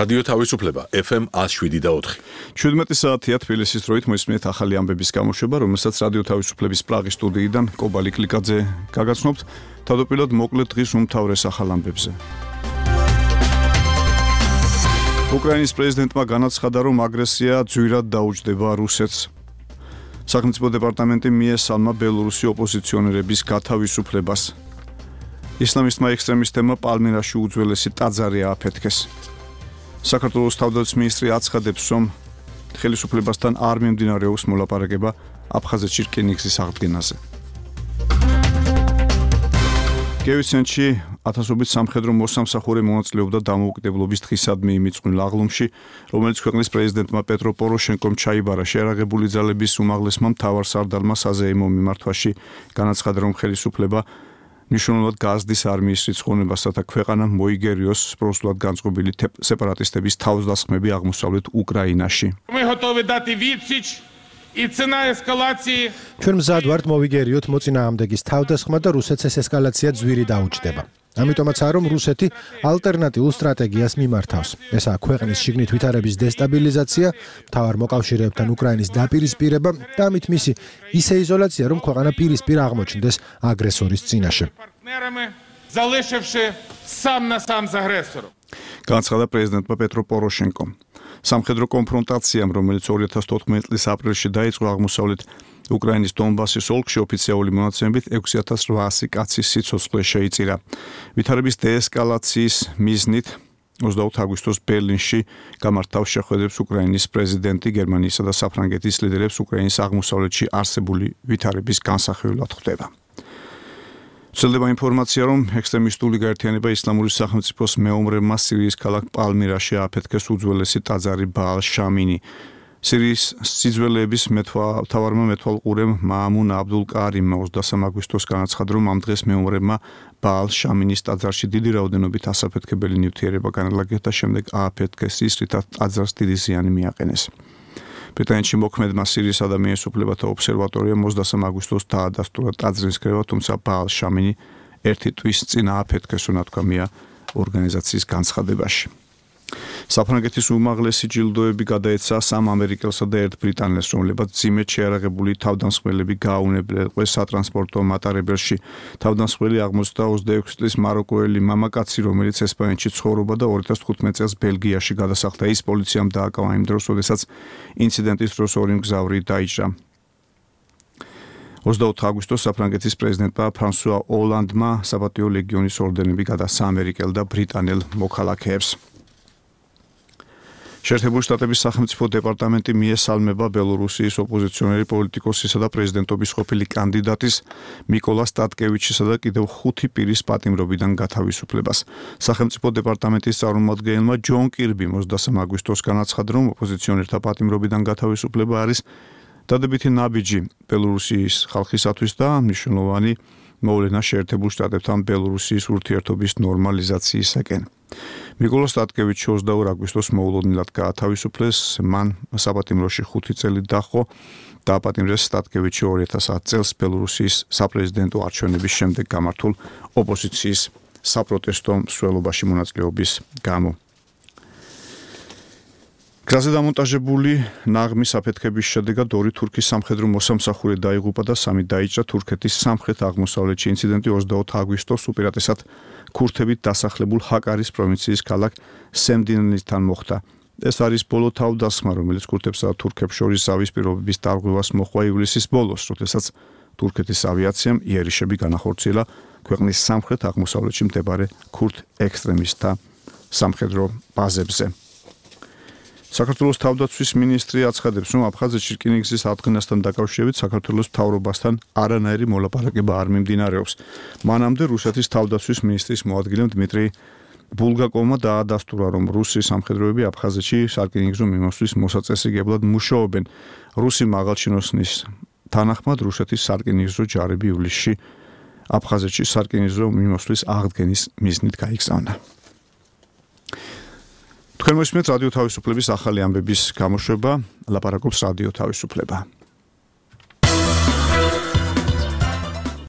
რადიო თავისუფლება FM 107.4. 17 საათია თბილისის დროით მოისმინეთ ახალი ამბების გამოშვება, რომელსაც რადიო თავისუფლების პრაღის სტუდიიდან კობალი კლიკაძე გაგაცნობთ. თავდაპირველად მოკლედ დღის უმთავრეს ახალ ამბებზე. უკრაინის პრეზიდენტმა განაცხადა, რომ აგრესია ძვირად დაუჯდება რუსეთს. სახელმწიფო დეპარტამენტი მიესალმა ბელორუსი ოპოზიციონერების გათავისუფლებას. ისლამისტმა ექსტრემისტებმა პალმირაში უძველესი ტაძარი ააფეთქეს. საქართველოს თავდაცვის მინისტრი აცხადებს, რომ ხელისუფლებასთან არ მიმდინარეობს მოლაპარაკება აფხაზეთში რკინიგზის აღდგენაზე. გევიცენში ათასობით სამხედრო მოსამსახურე მონაწილეობდა დამოუკიდებლობის დღისადმი იმიწვნილ აღლუმში, რომელიც ქვეყნის პრეზიდენტმა პეტრო პოროშენკომ ჩაიბარა. შეერაღებული ძალების უმაღლესმა მთავარსარდალმა საზეიმო მიმართვაში განაცხადა, რომ ხელისუფლება მნიშვნელოვნად გააზრდის არმიის რიცხოვნებას, რათა ქვეყანა მოიგერიოს პროსულად განწყობილი სეპარატისტების თავდასხმები აღმოსავლეთ უკრაინაში. ჩვენ მზად ვართ მოვიგერიოთ მოწინააღმდეგის თავდასხმა და რუსეთს ეს ესკალაცია ძვირი დაუჯდება. ამიტომაც რომ რუსეთი ალტერნატიულ სტრატეგიას მიმართავს. ესაა ქვეყნის შიგნით ვითარების დესტაბილიზაცია, მთავარ მოკავშირეებთან უკრაინის დაპირისპირება და ამით მისი ისე იზოლაცია, რომ ქვეყანა პირისპირ აღმოჩნდეს აგრესორის წინაშე. განაცხადა პრეზიდენტმა პეტრო პოროშენკომ. სამხედრო კონფრონტაციამ, რომელიც 2014 წლის აპრილში დაიწყო აღმოსავლეთ უკრაინის დონბასის ოლქში, ოფიციალური მონაცემებით 6800 კაცის სიცოცხლე შეიწირა. ვითარების დეესკალაციის მიზნით 20 აგვისტოს ბერლინში გამართავ შეხვედრებს უკრაინის პრეზიდენტი, გერმანიისა და საფრანგეთის ლიდერებს უკრაინის აღმოსავლეთში არსებული ვითარების განსახილველად ხვდება. ვრცელდება ინფორმაცია, რომ ექსტრემისტული გაერთიანება ისლამური სახელმწიფოს მეომრებმა სირიის ქალაქ პალმირაში ააფეთქეს უძველესი ტაძარი ბაალ შამინი. სირიის სიძველეების მთავარმა მეთვალყურემ მაამუნ აბდულ კარიმმა 23 აგვისტოს განაცხადა, რომ ამ დღეს მეომრებმა ბაალ შამინის ტაძარში დიდი რაოდენობით ასაფეთქებელი ნივთიერება განალაგეს და შემდეგ ააფეთქეს ის, რითაც ტაძარს დიდი ზიანი მიაყენეს. ბრიტანეთში მოქმედმა სირიის ადამიანის უფლებათა ობსერვატორიამ 23 აგვისტოს დაადასტურა ტაძრის კრება, თუმცა ბაალ შამინი ერთი თვის წინ ააფეთქეს, უნათქვამია ორგანიზაციის განცხადებაში. საფრანგეთის უმაღლესი ჯილდოები გადაეცა 3 ამერიკელსა და 1 ბრიტანელს, რომლებაც ძიმედ შეარაღებული თავდამსხმელები გააუნებლეს სატრანსპორტო მატარებელში. თავდამსხმელი 26 წლის მაროკოელი მამაკაცი, რომელიც ესპანეთში ცხოვრობდა და 2015 წელს ბელგიაში გადასახლდა. ის პოლიციამ დააკავა იმ დროს, როდესაც ინციდენტის დროს ორი მგზავრი დაიჭრა. 24 აგვისტოს საფრანგეთის პრეზიდენტმა ფრანსუა ოლანდმა საპატიო ლეგიონის ორდენები გადასცა ამერიკელ და ბრიტანელ მოქალაქეებს. შეერთებული შტატების სახელმწიფო დეპარტამენტი მიესალმება ბელორუსიის ოპოზიციონერი პოლიტიკოსისა და პრეზიდენტობის ყოფილი კანდიდატის მიკოლა სტატკევიჩისა და კიდევ 5 პირის პატიმრობიდან გათავისუფლებას. სახელმწიფო დეპარტამენტის წარმომადგენელმა ჯონ კირბიმ 23 აგვისტოს განაცხადა, რომ ოპოზიციონერთა პატიმრობიდან გათავისუფლება არის დადებითი ნაბიჯი ბელორუსიის ხალხისათვის და მნიშვნელოვანი მოვლენა შეერთებულ შტატებთან ბელორუსიის ურთიერთობის ნორმალიზაციისაკენ. მიკოლა სტატკევიჩი 22 აგვისტოს მოულოდნელად გაათავისუფლეს, მან საპატიმროში 5 წელი დაჰყო. დააპატიმრეს სტატკევიჩი 2010 წელს ბელორუსიის საპრეზიდენტო არჩევნების შემდეგ გამართულ ოპოზიციის საპროტესტო მსვლელობაში მონაწილეობის გამო. გზაზე დამონტაჟებული ნაღმის აფეთქების შედეგად 2 თურქის სამხედრო მოსამსახურე დაიღუპა და 3 დაიჭრა. თურქეთის სამხრეთ-აღმოსავლეთში ინციდენტი 24 აგვისტოს უპირატესად ქურთებით დასახლებულ ჰაკარის პროვინციის ქალაქ სემდინისთან მოხდა. ეს არის ბოლო თავდასხმა, რომელიც ქურთებსა და თურქებს შორის ზავის პირობების დარღვევას მოჰყვა ივლისის ბოლოს, როდესაც თურქეთის ავიაციამ იერიშები განახორციელა ქვეყნის სამხრეთ-აღმოსავლეთში მდებარე ქურთ ექსტრემისტთა სამხედრო ბაზებზე. საქართველოს თავდაცვის მინისტრი აცხადებს, რომ აფხაზეთში რკინიგზის აღდგენასთან დაკავშირებით საქართველოს მთავრობასთან არანაირი მოლაპარაკება არ მიმდინარეობს. მანამდე რუსეთის თავდაცვის მინისტრის მოადგილემ დმიტრი ბულგაკოვმა დაადასტურა, რომ რუსი სამხედროები აფხაზეთში სარკინიგზო მიმოსვლის მოსაწესრიგებლად მუშაობენ. რუსი მაღალჩინოსნის თანახმად რუსეთის სარკინიგზო ჯარები ივლისში აფხაზეთში სარკინიგზო მიმოსვლის აღდგენის მიზნით გაიგზავნა. თქვენ მოსმენთ რადიო თავისუფლების ახალი ამბების გამოშვება, ლაპარაკობს რადიო თავისუფლება.